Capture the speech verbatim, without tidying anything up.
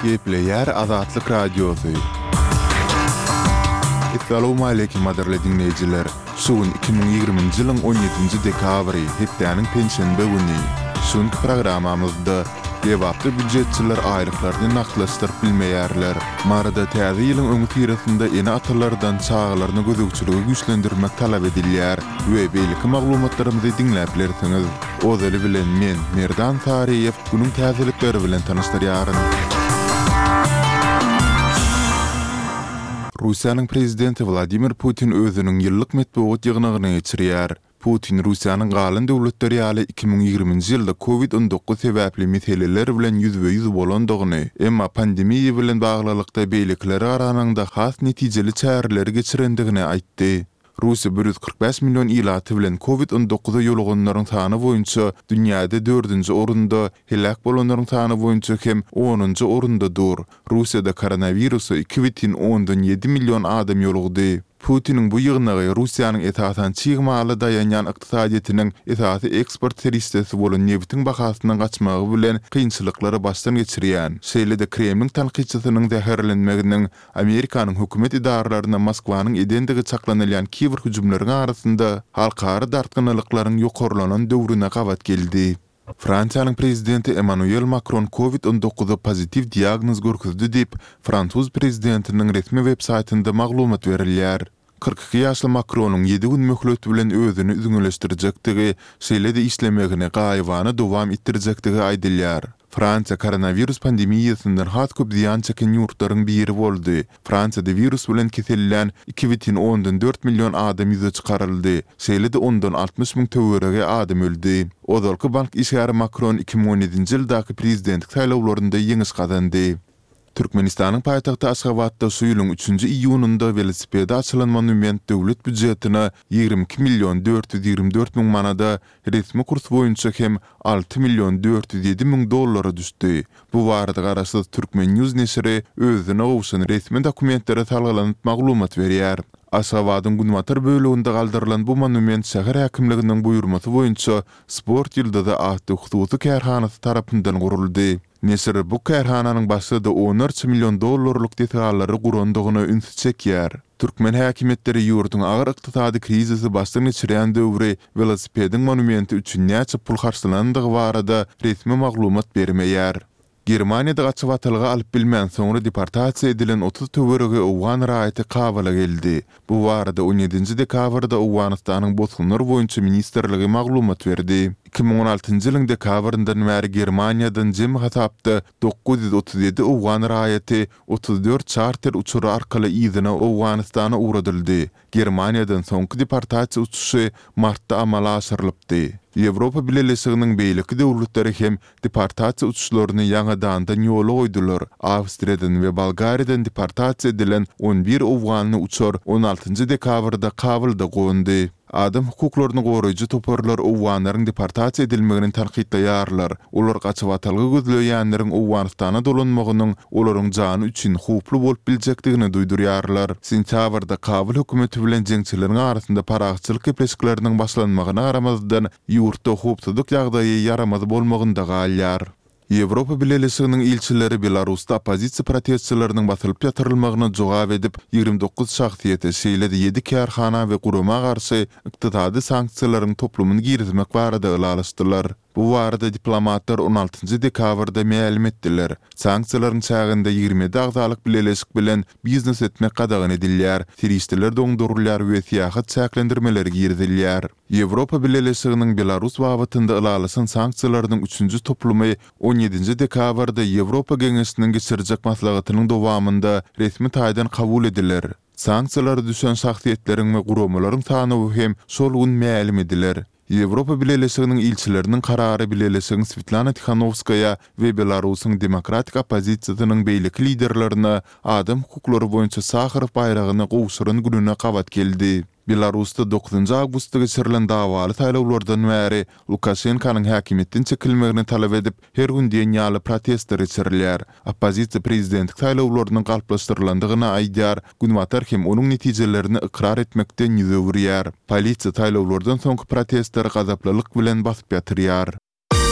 Gepleýär Azatlyk Radiosy. Essalawmaleýkim gadyrly diňleýjiler! Şu gün iki müň ýigriminji ýylyň on ýedinji dekabry, hepdäniň penşenbe güni. Şu günki programmamyzda Lebapda býujetçiler aýlyklaryny nagtlaşdyryp bilmeýärler. Maryda Täze ýylyň öňüsyrasynda ene-atalardan çagalaryna gözegçiligi güýçlendirmek talap edilýär we beýleki maglumatlarymyzy diňläp bilersiňiz. Ozaly bilen men, Merdan Saryýew, günüň täzelikleri bilen tanyşdyrýaryn. Russiýanyň prezidenti Wladimir Putin özüniň ýyllyk metbugat ýygnagyny geçirýär. Putin Russiýanyň galan döwletler ýaly iki müň ýigriminji ýylda Covid on dokuz sebäpli meseleler bilen ýüzbe-ýüz bolandygyny, emma pandemiýa bilen baglylykda beýlekilere garanyňda has netijeli çäreleri geçirendigini aýtdy. Russiýa bir ýüz kyrk bäş million ilaty bilen Covid on dokuza ýoluganlaryň sany boýunça dünýäde dördünji orunda, heläk bolanlaryň sany boýunça hem onunjy orunda dur. Russiýada koronawirusa iki bütin ondan ýedi million adam ýolugdy. Putiniň bu ýygnagy Russiýanyň esasan çig mala daýanýan ykdysadyýetiniň esasy eksport serişdesi bolan nebitiň bahasynyň gaçmagy bilen kynçylyklary başdan geçirýän, şeýle-de Kremliň tankytçysynyň zäherlenmeginiň Amerikanyň hökümet edaralaryna Moskwanyň edendigi çaklanylýan kiber hüjümleriň arasynda halkara dartgynlylyklaryň ýokarlanan döwrüne gabat geldi. Fransiýanyň prezidenti Emmanuel Makron Covid on dokuza pozitiw diagnoz görkezdi diýip, fransuz prezidentiniň resmi web-saýtynda maglumat berilýär. Kyrk iki ýaşly Makronyň ýedi gün möhlet bilen özüni üzňeleşdirjekdigi, şeýle-de işlemegini gaýybana dowam etdirjekdigi aýdylýar. Fransiýa koronawirus pandemiýasyndan has köp zyýan çeken ýurtlaryň biri boldy. Fransiýada wirus bilen kesellän iki bütin ondan dört million adam ýüze çykaryldy, şeýle-de ondan altmyş müň töweregi adam öldi. Ozalky bank işgäri Makron iki müň on ýedinji ýyldaky prezidentlik saýlawlarynda ýeňiş gazandy. Türkmenistanyň paýtagty Aşgabatda şu ýylyň üçünji iýunynda welosipede açylan monument döwlet býujetine ýigrimi iki million dört ýüz ýigrimi dört müň manada, resmi kurs boýunça hem alty million dört ýüz ýedi müň dollara düşdi. Bu barada garaşsyz Turkmen News neşiri özüne gowşan resmi dokumentlere salgylanyp maglumat berýär. Aşgabadyň günbatar böleginde galdyrylan bu monument şäher häkimliginiň buýurmasy boýunça Sport ýyldyzy atly hususy kärhanasy tarapyndan guruldy. Neşir bu kärhananyň başga-da onlarça million dollarlyk desgalary gurandygyna ünsi çekýär. Türkmen häkimiýetleri ýurduň agyr ykdysady krizisi başdan geçirýän döwri welosipediň monumenti üçin näçe pul harçlanandygy barada resmi maglumat bermeýär. Germaniýada gaçybatalga alyp bilmän soňra deportasiýa edilen otuz töweregi owgan raýaty Kabula geldi. Bu barada on ýedinji dekabrda Owganystanyň Bosgunlar boýunça ministrligi maglumat berdi. Iki müň on altynjy ýylyň dekabryndan bäri Germaniýadan jemi hasapda dokuz ýüz otuz ýedi owgan raýaty otuz dört çarter uçary arkaly yzyna Owganystana ugradyldy. Germaniýadan soňky deportasiýa uçuşy martda amala aşyrylypdy. Ýewropa Bileleşiginiň beýleki döwletleri hem deportasiýa uçuşlaryny ýaňadandan ýola goýdular. Awstriýadan we Bolgariýadan deportasiýa edilen on bir owganly uçar on altynjy dekabrda Kabulda gondy. Adam hukuklaryny goraýjy toparlar owganlaryň deportasiýa edilmegini tankytlaýarlar. Olar gaçybatalga gözleýänleriň Owganystana dolanmagynyň olaryň jany üçin howply bolup biljekdigini duýdurýarlar. Sentýabrda Kabul hökümeti bilen jeňçileriň arasynda parahatçylyk gepleşikleriniň başlanmagyna garamazdan, ýurtda howpsuzlyk ýagdaýy ýaramaz bolmagynda galýar. Ýewropa Bileleşiginiň ilçileri Belarusda oppozisiýa protestçileriniň basylyp ýatyrylmagyna jogap edip, ýigrimi dokuz şahsyýete, şeýle-de ýedi kärhana we gurama garşy ykdysady sanksiýalaryň toplumyny girizmek barada ylalaşdylar. Bu barada diplomatlar on altynjy dekabrda mälim etdiler. Sanksiýalaryň çäginde ýigrimi ýedi agzalyk bileleşik bilen biznes etmek gadagan edilýär, serişdeler doňdurylýar we syýahat çäklendirmeleri girizilýär. Ýewropa Bileleşiginiň Belarus babatynda ylalaşan sanksiýalarynyň üçünji toplumy on ýedinji dekabrda Ýewropa Geňeşiniň geçirjek maslahatynyň dowamynda resmi taýdan kabul ediler. Sanksiýalara düşen şahsyýetleriň we guramalaryň sanawy hem şol gün mälim ediler. Ýewropa Bileleşiginiň ilçileriniň karary Bileleşigiň Swetlana Tihanowskaýa we Belarusyň demokratik oppozisiýasynyň beýleki liderlerine adam hukuklary boýunça Saharow baýragyny gowşuran gününe gabat geldi. Belarusda dokuzynjy awgustda geçirilen dawaly saýlawlardan bäri Lukaşenkanyň häkimiýetden çekilmegini talap edip, her gün diýen ýaly protestler geçirilýär. Oppozisiýa prezidentlik saýlawlarynyň galplaşdyrylandygyny aýdýar, Günbatar hem onuň netijelerini ykrar etmekden ýüz öwürýär. Polisiýa saýlawlardan soňky protestleri gazaplylyk bilen basyp ýatyrýar.